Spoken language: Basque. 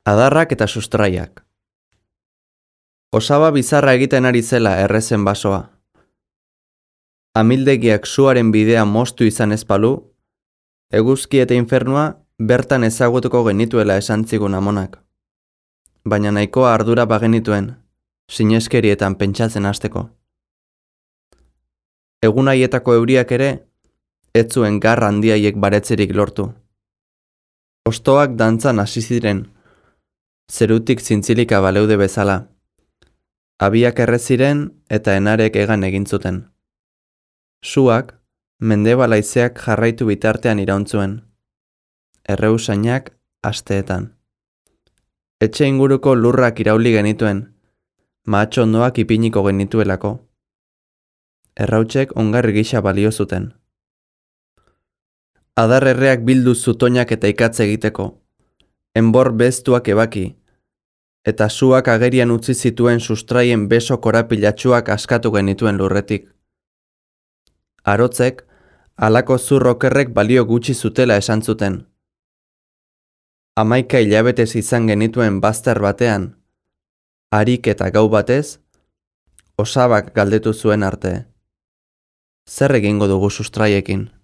Adarrak eta sustraiak. Osaba bizarra egiten ari zela errezen basoa. Amildegiak suaren bidea moztu izan ezpalu, eguzki eta infernua bertan ezagutuko genituela esan zigun amonak. Baina nahikoa ardura bagenituen, sineskerietan pentsatzen hasteko. Egun haietako euriak ere, ez zuen garra handiaiek baretzerik lortu. Hostoak dantzan hasi ziren, zerutik zintzilika baleude bezala. Abiak erreziren eta enarek egan egin zuten. Suak, mendebal haizeak jarraitu bitartean irauntzuen. Erreusainak asteetan. Etxe inguruko lurrak irauli genituen, mahatxondoak ipiniko genituelako. Errautsek ongarri gisa balio zuten. Adar erreak bildu zutoinak eta ikatz egiteko, enbor beztuak ebaki, eta suak agerian utzi zituen sustraien beso korapilatsuak askatu genituen lurretik. Arotzek, halako zurrokerrek balio gutxi zutela esan zuten. 11 hilabetez izan genituen bazter batean, harik eta gau batez, osabak galdetu zuen arte. Zer egingo dugu sustraiekin?